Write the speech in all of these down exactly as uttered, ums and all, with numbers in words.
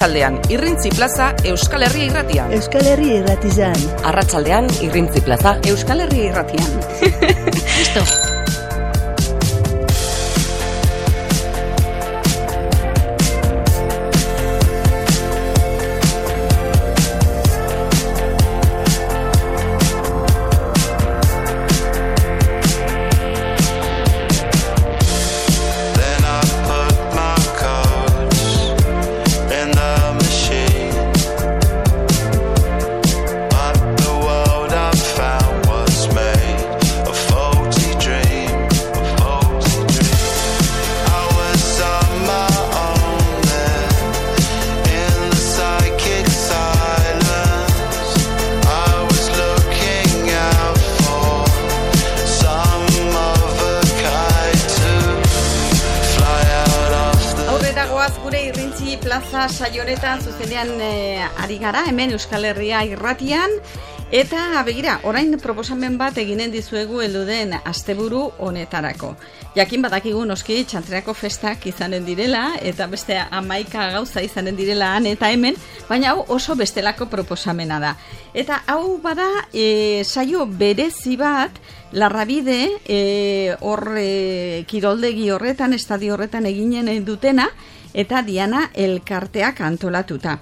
Arratsaldean Irrintzi Plaza Euskal Herria Irratian. Euskal Herria Irratizan. Arratsaldean Irrintzi Plaza Euskal Herria Irratian. Listo. Plaza saionetan zuzenean e, ari gara, hemen Euskal Herria Irratian, eta begira, orain proposamen bat eginen dizuegu helduden asteburu honetarako. Jakin badakigu noski txantreako festak izanen direla, eta beste hamaika gauza izanen direla han eta hemen, baina hau oso bestelako proposamena da. Eta hau bada e, saio berezi bat, Larrabide, e, hor e, kiroldegi horretan, estadio horretan eginen dutena, eta Diana elkarteak antolatuta.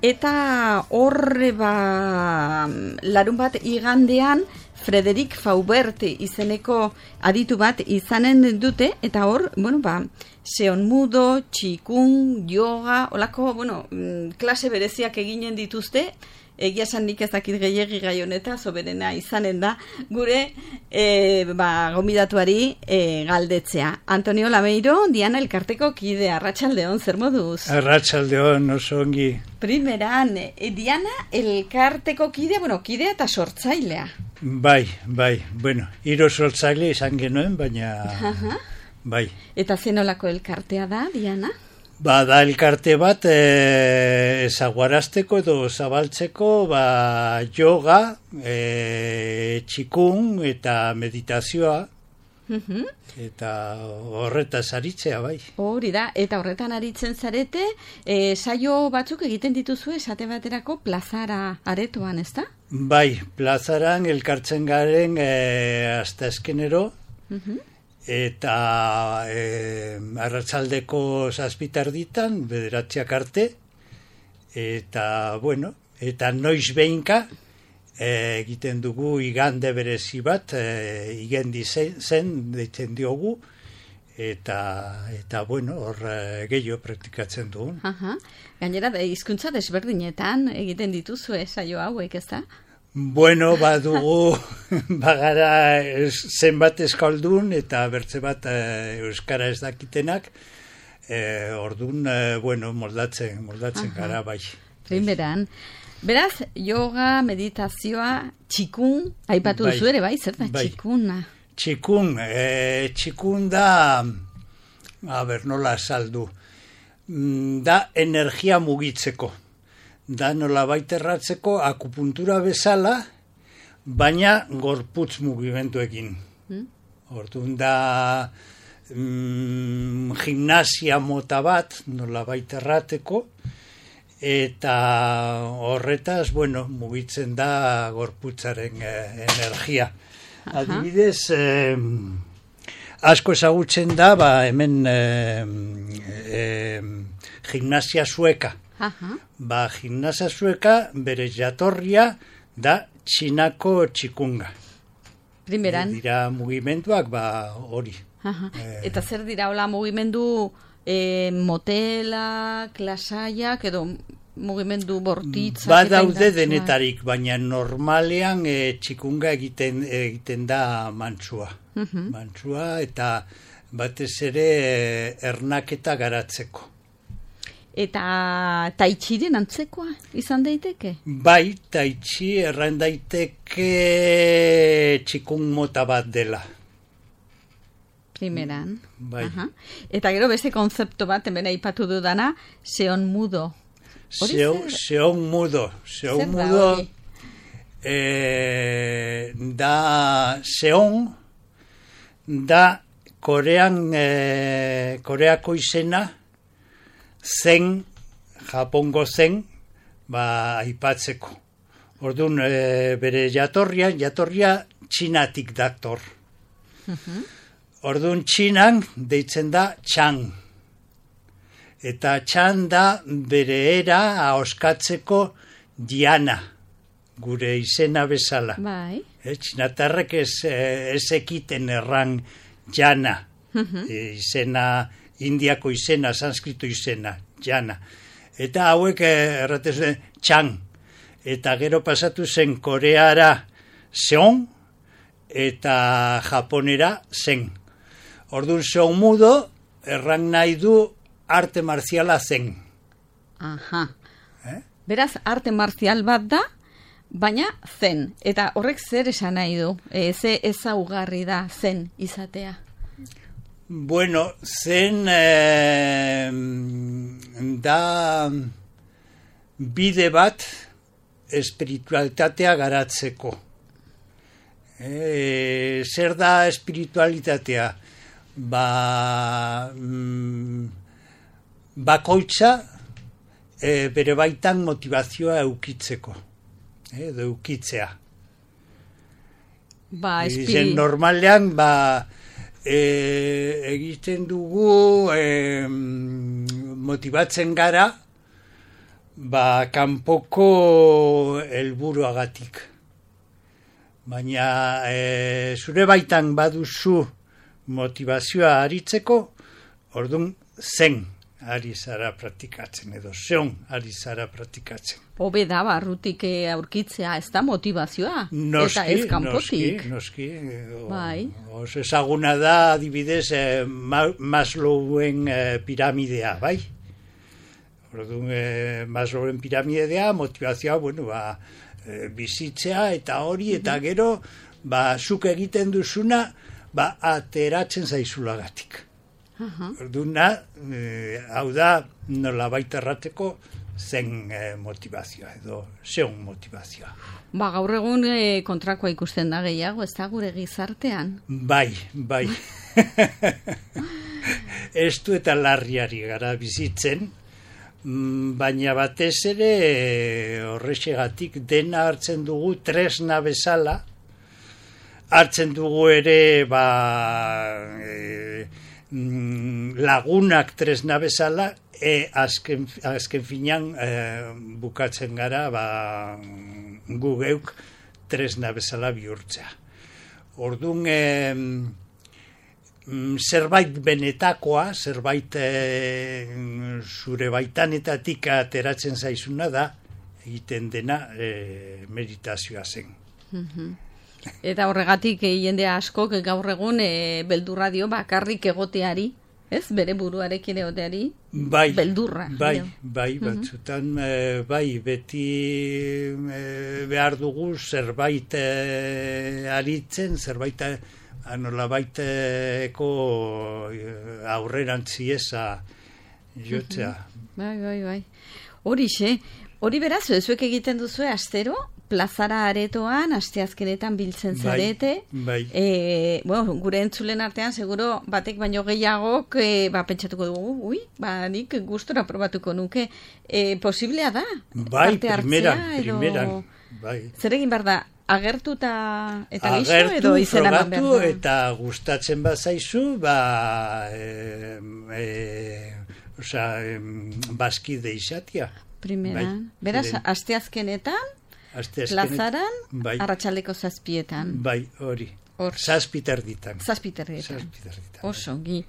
Eta horre ba, larun bat igandean Frederik Faubert izeneko aditu bat izanen dute, eta hor, bueno, ba, seon mudo, txikun, yoga, olako, bueno, klase bereziak eginen dituzte. Egia esan nik ez dakit gehiegi gai honeta, soberena izanen da, gure e, ba, gomidatuari e, galdetzea. Antonio Lameiro, Diana elkarteko kide, arratsaldeon, zer moduz? Arratsaldeon, oso ongi. Primeran, e, Diana elkarteko kide, bueno, kidea eta sortzailea. Bai, bai, bueno, hiru sortzaile izan genuen, baina Aha. bai. Eta zenolako elkartea da, Diana? Ba, da elkarte bat e, ezaguarazteko edo zabaltzeko ba, yoga, e, txikun eta meditazioa, uh-huh. eta horretaz aritzea, bai. Hori da, eta horretan aritzen zarete, e, saio batzuk egiten dituzu esate baterako plazara aretoan, ezta? Bai, plazaran elkartzen garen e, hasta eskenero, uh-huh. eta e, arratsaldeko zazpitarditan, bederatziak arte, eta, bueno, eta noiz behinka e, egiten dugu igande berezi bat, e, igendi zen, zen deitzen diogu, eta, eta bueno, hor e, gehiago praktikatzen dugu. Aha. Gainera, hizkuntza desberdinetan egiten dituzu saio hauek, ez da? Bueno, badugu, bagara zenbat eskaldun eta bertze bat e, euskara ez dakitenak, e, ordun, e, bueno, moldatzen, moldatzen Aha. gara, bai. Primeran. Beraz, yoga, meditazioa, txikun, aipatu bai. duzu ere, bai, zer da, bai. txikuna? Txikun, e, txikun da, a ber, nola saldu, da energia mugitzeko. Da nola baiterratzeko akupuntura bezala, baina gorputz mugimenduekin. Hmm? Orduan da mm, gimnasia mota bat, nola baiterrateko, eta horretaz, bueno, mugitzen da gorputzaren eh, energia. Aha. Adibidez, eh, asko ezagutzen da, ba, hemen eh, eh, gimnasia sueka. Aha. Ba, gimnasia sueka bere jatorria da txinako txikunga. Primeran. E, dira mugimenduak, ba, hori. Aha. E, Eta zer dira, hola, mugimendu e, motelak, lasaiak, edo mugimendu bortitzak? Ba, daude denetarik, baina normalean e, txikunga egiten, egiten da mantsua. Uh-huh. Mantsua eta batez ere e, ernaketa garatzeko. Eta taitxiren antzekoa izan daiteke? Bai, taitxi erran daiteke txikun mota bat dela. Primeran. Bai. Aha. Eta gero beste konzeptu bat, hemen aipatu dudana, seon mudo. Seon, seon mudo. Seon mudo eh, da seon da Korean, eh, Koreako izena zen Japongo zen, ba, aipatzeko. Orduan, e, bere jatorria, jatorria txinatik dator. Orduan, txinan deitzen da txan. Eta txan da bere era ahoskatzeko diana, gure izena bezala. Bai. E, txinatarrek ez, ez ekiten erran jana. E, izena, indiako izena, sanskrito izena, jana. Eta hauek erratez txan. Eta gero pasatu zen Koreara seon, eta Japonera zen. Orduan seon mudo, erran nahi du arte marziala zen. Aha. Eh? Beraz, arte marzial bat da, baina zen. Eta horrek zer esan nahi du? E, ze ezaugarri da zen izatea? Bueno, zen eh, da bide bat espiritualitatea garatzeko. E, zer da espiritualitatea? Ba, mm, bakoitza e, bere baitan motivazioa eukitzeko. E, edo eukitzea. Ba, espiri... Ezen normalean, ba, e, egiten dugu e, motibatzen gara, ba, kanpoko helburuagatik. Baina e, zure baitan baduzu motivazioa aritzeko, orduan zen ari zara praktikatzen, edo zeon ari zara praktikatzen. Hobe da, barrutik aurkitzea, ez da motivazioa, noski, eta ez kanpotik. Noski, noski. Bai. Oso ezaguna da, adibidez, eh, Maslowen eh, piramidea, bai? Orduan, eh, Maslowen piramidea, motivazioa, bueno, ba, eh, bizitzea, eta hori, eta gero, ba, zuk egiten duzuna, ba, ateratzen zaizulagatik. Aha. Orduan, eh, hau da, nola baita errateko, zen eh, motivazioa, edo zeon motivazioa. Ba, gaur egun e, kontrakoa ikusten da gehiago, ez da gure gizartean? Bai, bai. Estu eta larriari gara bizitzen, baina batez ere horrexegatik dena hartzen dugu tresna bezala, hartzen dugu ere ba, e, lagunak tresna bezala, e, azken, azken finan e, bukatzen gara ba, gu geuk tresna bezala bihurtzea. Orduan, e, zerbait benetakoa, zerbait e, zure baitanetatik ateratzen zaizuna da, egiten dena e, meditazioa zen. Eta horregatik e, jende askok gaur egun e, beldurra dio bakarrik egoteari, ez? Bere buruarekin egoteari, bai, beldurra. Bai, dio. bai, batzutan, e, bai, beti e, behar dugu zerbait e, aritzen, zerbait anola baiteko aurrerantzi eza jotzea. Bai, bai, bai. Horixe, hori beraz, zuek egiten duzue astero, plazara aretoan, asteazkenetan biltzen zarete. Bai, bai. E, bueno, gure entzulen artean, seguro batek baino gehiagok e, ba, pentsatuko dugu, ui, ba, nik gustora probatuko nuke. E, posiblea da? Bai, parte hartzea, primeran, edo... primeran. Bai. Zer egin behar da? Agertu eta, eta listo, agertu, edo izena eman behar frogatu, da? eta gustatzen bazaizu, ba, e, e, oza, bazkide izatia. Primeran. Bai, beraz, ziren. asteazkenetan, Asteazkenetan, plazaran, bai, arratsaldeko zazpietan. bai, hori. Hor. Zazpiterditan. Zazpiterrietan. Zazpiterditan. Oso, gi.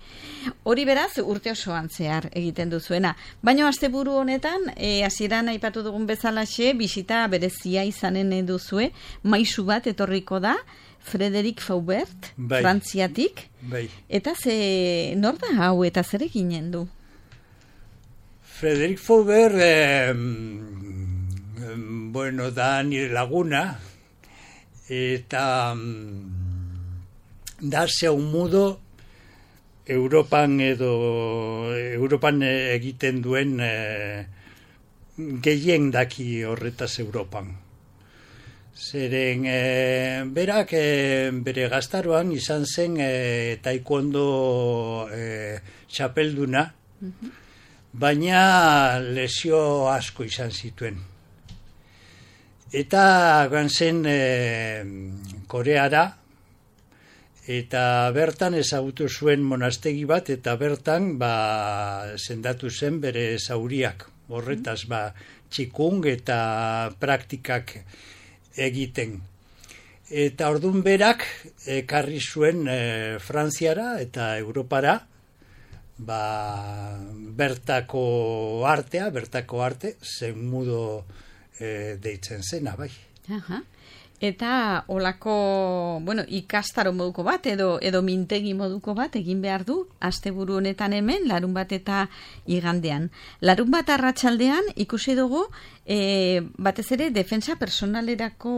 Hori beraz, urte osoan zehar egiten duzuena. Baina asteburu honetan, e, hasieran aipatu dugun bezalaxe, bisita berezia izanen duzue, maisu bat etorriko da, Frederic Faubert, bai, Frantziatik. Bai. Eta ze, nor da hau eta zer eginen du? Frederic Faubert, eh, bueno, da nire laguna, eta da zeun mudo Europan edo Europan egiten duen e, gehien daki horretaz Europan. Zeren e, berak e, bere gaztaroan izan zen e, taekwondo e, txapelduna, baina lesio asko izan zituen. Eta joan zen e, Koreara, eta bertan ezagutu zuen monastegi bat, eta bertan ba, sendatu zen bere zauriak. Horretaz, ba, txikung eta praktikak egiten. Eta ordun berak ekarri zuen e, Frantziara eta Europara, ba, bertako artea, bertako arte, zen mudo e, deitzen zena, bai. Aha. Eta olako, bueno, ikastaro moduko bat, edo edo mintegi moduko bat egin behar du, asteburu honetan hemen, larun bat eta igandean. Larun bat arratsaldean ikusi dugu, e, batez ere, defensa personalerako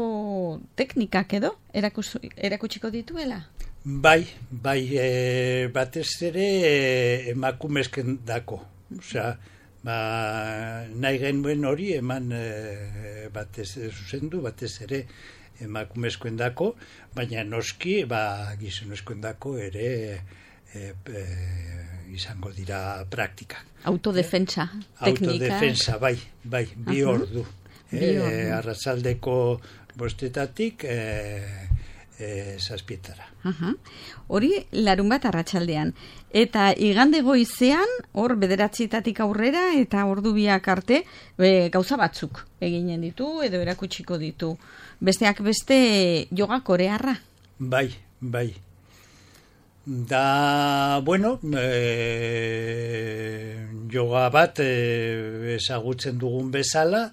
teknikak edo, erakus, erakutsiko dituela? Bai, bai, e, batez ere e, emakumezken dako. Osea, ba, nahi genuen hori eman e, batez zuzendu, batez ere emakumezkoen dako, baina noski, ba, gizonezkoen dako ere e, e, izango dira praktikak. Autodefensa, eh? Teknika. Autodefensa, bai, bai, bi Aha. ordu. Bi E, ordu. arratsaldeko bostetatik e, e, zazpietara. Aha. Hori larun bat arratsaldean. Eta igande goizean, hor bederatzietatik aurrera eta ordu biak arte, e, gauza batzuk eginen ditu edo erakutsiko ditu. Besteak beste yoga korearra. Bai, bai. Da, bueno, e, yoga bat e, ezagutzen dugun bezala,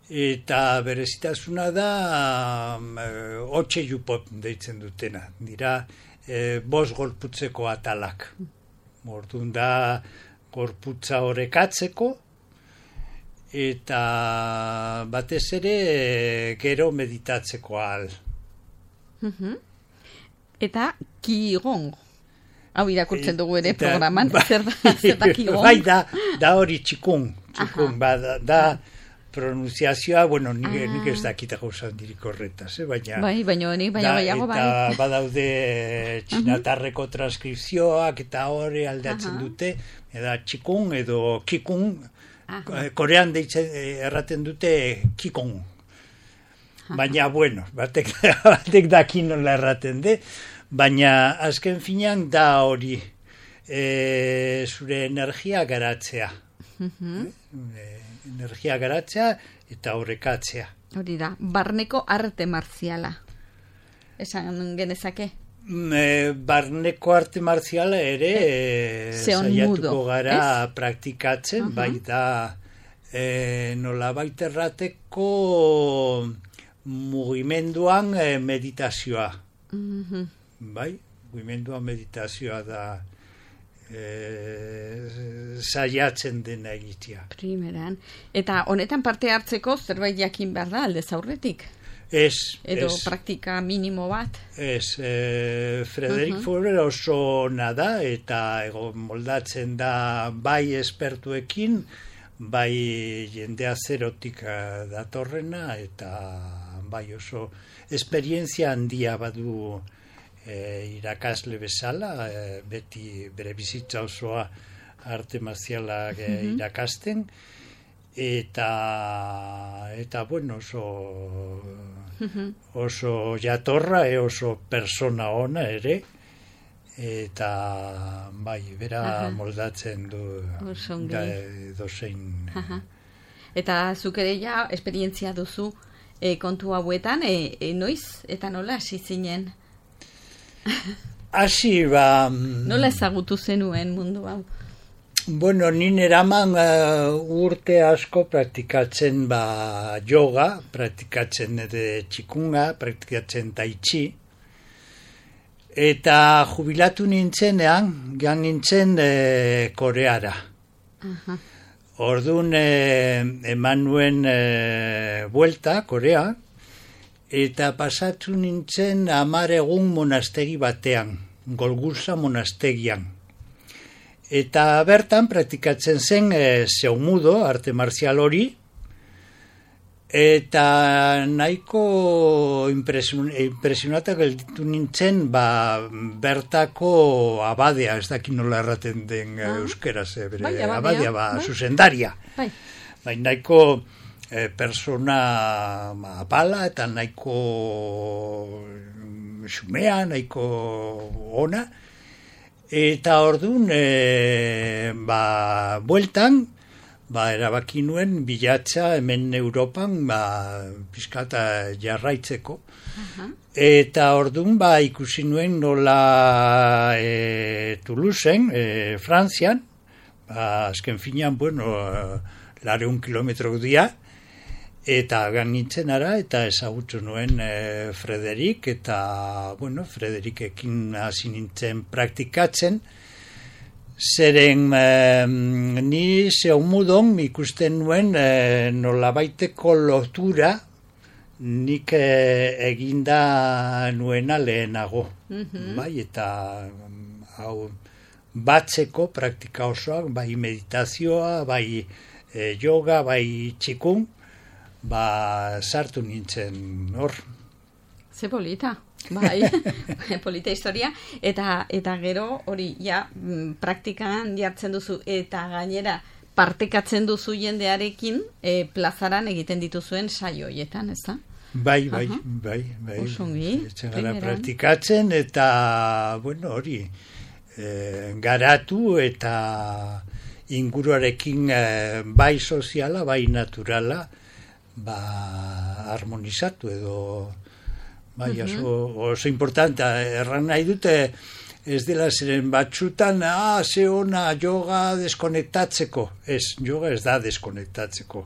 eta berezitasuna da e, hotxe jupot deitzen dutena. Dira, e, bost gorputzeko atalak. Orduan da, gorputza horrekatzeko, eta batez ere gero meditatzeko ahal. Mhm. Eta Qigong. Hau irakurtzen dugu ere Eta- programan. ba- Zer da, zer da Qigong? Bai, da, da hori txikun. Txikun, Aha. ba, da, da pronunciazioa, bueno, nik, Ah. nik ez dakita gauza handirik horretaz, eh? baina... Bai, baina honi, baina da, baiago bai. Eta badaude txinatarreko transkripzioak eta hori aldatzen Aha. dute, eta txikun edo kikun, Aha. korean deitzen eh, erraten dute kikun. Baina, bueno, batek, batek daki nola erraten de, baina azken finean da hori e, zure energia garatzea. E, energia garatzea eta horrekatzea. Hori da, barneko arte marziala. Esan genezake. Mm, E, barneko arte marziala ere e, Zeon saiatuko mudo, gara ez? praktikatzen, Aha. bai da e, nolabait errateko mugimenduan e, meditazioa. Mhm. Bai, mugimenduan meditazioa da e, saiatzen dena egitea. Primeran. Eta honetan parte hartzeko zerbait jakin behar da aldez aurretik. Ez, Edo ez, praktika minimo bat. ez, e, Frederik Mhm. Furrer oso ona da eta ego moldatzen da bai espertuekin, bai jendea zerotik eh, datorrena eta bai oso esperientzia handia badu e, irakasle bezala, e, beti bere bizitza osoa arte marzialak e, irakasten, eta eta bueno, oso oso jatorra, e oso persona ona ere, eta bai, bera Aha. moldatzen du Oso ongi. da, dozein Aha. Eta zuk ere ja esperientzia duzu e, kontu hauetan, e, e, noiz eta nola hasi zinen? hasi ba Nola ezagutu zenuen mundu hau? bueno, nin eraman uh, urte asko praktikatzen ba yoga, praktikatzen ere txikunga, praktikatzen tai chi, eta jubilatu nintzenean, gan nintzen e, Koreara. Aha. Orduan e, eman nuen e, buelta Korea, eta pasatu nintzen hamar egun monastegi batean, Golgursa monastegian. Eta bertan praktikatzen zen e, zeumudo, arte marzial hori, Eta nahiko impresion, impresionatak gelditu nintzen, ba, bertako abadea, ez dakit nola erraten den ah. euskeraz, eh, bere, bai, abadea, abadea, ba, bai. Zuzendaria. Bai. Bai, nahiko eh, persona ba, apala eta nahiko xumea, nahiko ona. Eta orduan, eh, ba, bueltan, ba, erabaki nuen bilatza hemen Europan, ba, pizkata jarraitzeko. Uh-huh. Eta orduan, ba, ikusi nuen nola e, Toulouseen, e, Frantzian, ba, azken finean, bueno, lareun kilometro dia, eta ganintzen ara, eta ezagutu nuen e, Frederik, eta, bueno, Frederikekin hasi nintzen praktikatzen. Zeren eh, ni zeumudon ikusten nuen eh, nolabaiteko lotura nik eh, eginda nuena lehenago. Mm-hmm. Bai, eta hau batzeko praktika osoak, bai meditazioa, bai eh, yoga, bai txikun, ba sartu nintzen hor. Ze polita. Bai, polita historia, eta eta gero hori ja praktikan jartzen duzu eta gainera partekatzen duzu jendearekin e, plazaran egiten dituzuen saio hoietan, ez da? Bai, bai, uh-huh. bai, bai. Osongi, gara praktikatzen eta, bueno, hori, e, garatu eta inguruarekin e, bai soziala, bai naturala, ba, harmonizatu edo... Bai, oso, oso importante, erran nahi dute, ez dela ziren batxutan, ah, ze ona, yoga deskonektatzeko. Ez, yoga ez da deskonektatzeko.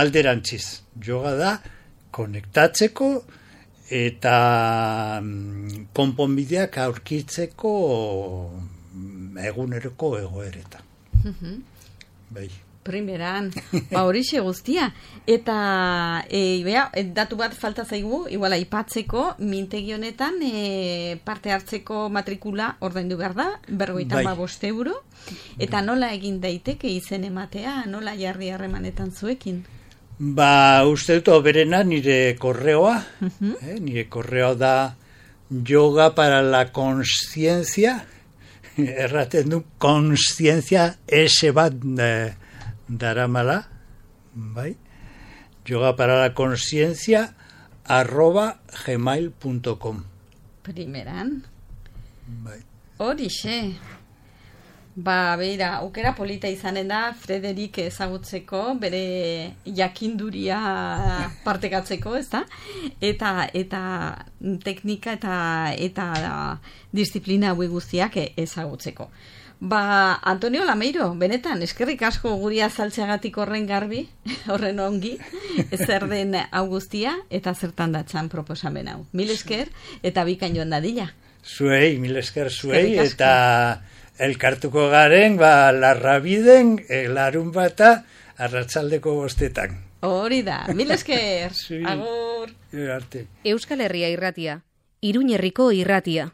Alderantziz, yoga da konektatzeko eta mm, konponbideak aurkitzeko eguneroko egoeretan. Uh-huh. Bai. Primeran, ba horixe guztia. Eta e, bea, datu bat falta zaigu, igual aipatzeko, mintegi honetan e, parte hartzeko matrikula ordaindu behar da, berrogeita hamabost euro. Eta nola egin daiteke izen ematea, nola jarri harremanetan zuekin? Ba, uste dut oberena nire korreoa, uh-huh. eh, nire korreoa da yoga para la consciencia, erraten du consciencia ese bat... Eh, daramala, bai, yoga para la consciencia arroba gmail punto com. Primeran. Bai. Horixe. Ba, beira, aukera polita izanen da Frederik ezagutzeko, bere jakinduria partekatzeko, ez da? Eta, eta teknika eta, eta disiplina hauek guztiak ezagutzeko. Ba, Antonio Lameiro, benetan, eskerrik asko guri azaltzeagatik horren garbi, horren ongi, zer den hau guztia, eta zertan datzan proposamen hau. Mil esker, eta bikain joan dadila. Zuei, mil esker zuei, eta elkartuko garen, ba, larrabiden, larun bata, arratsaldeko bostetan. Hori da, mil esker, agur. Euskal Herria irratia, Iruñerriko irratia.